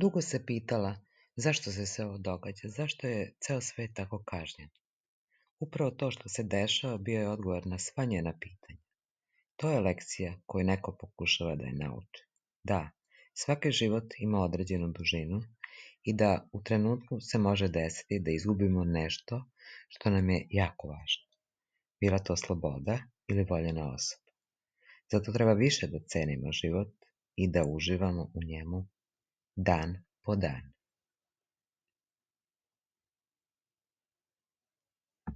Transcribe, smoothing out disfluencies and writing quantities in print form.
Dugo se pitala zašto se sve ovo događa, zašto je ceo svet tako kažnjen. Upravo to što se dešava bio je odgovor na sva njena pitanja. To je lekcija koju neko pokušava da je nauči. Da, svaki život ima određenu dužinu i da u trenutku se može desiti da izgubimo nešto što nam je jako važno. Bila to sloboda ili voljena osoba. Zato treba više da cenimo život i da uživamo u njemu dan po dan.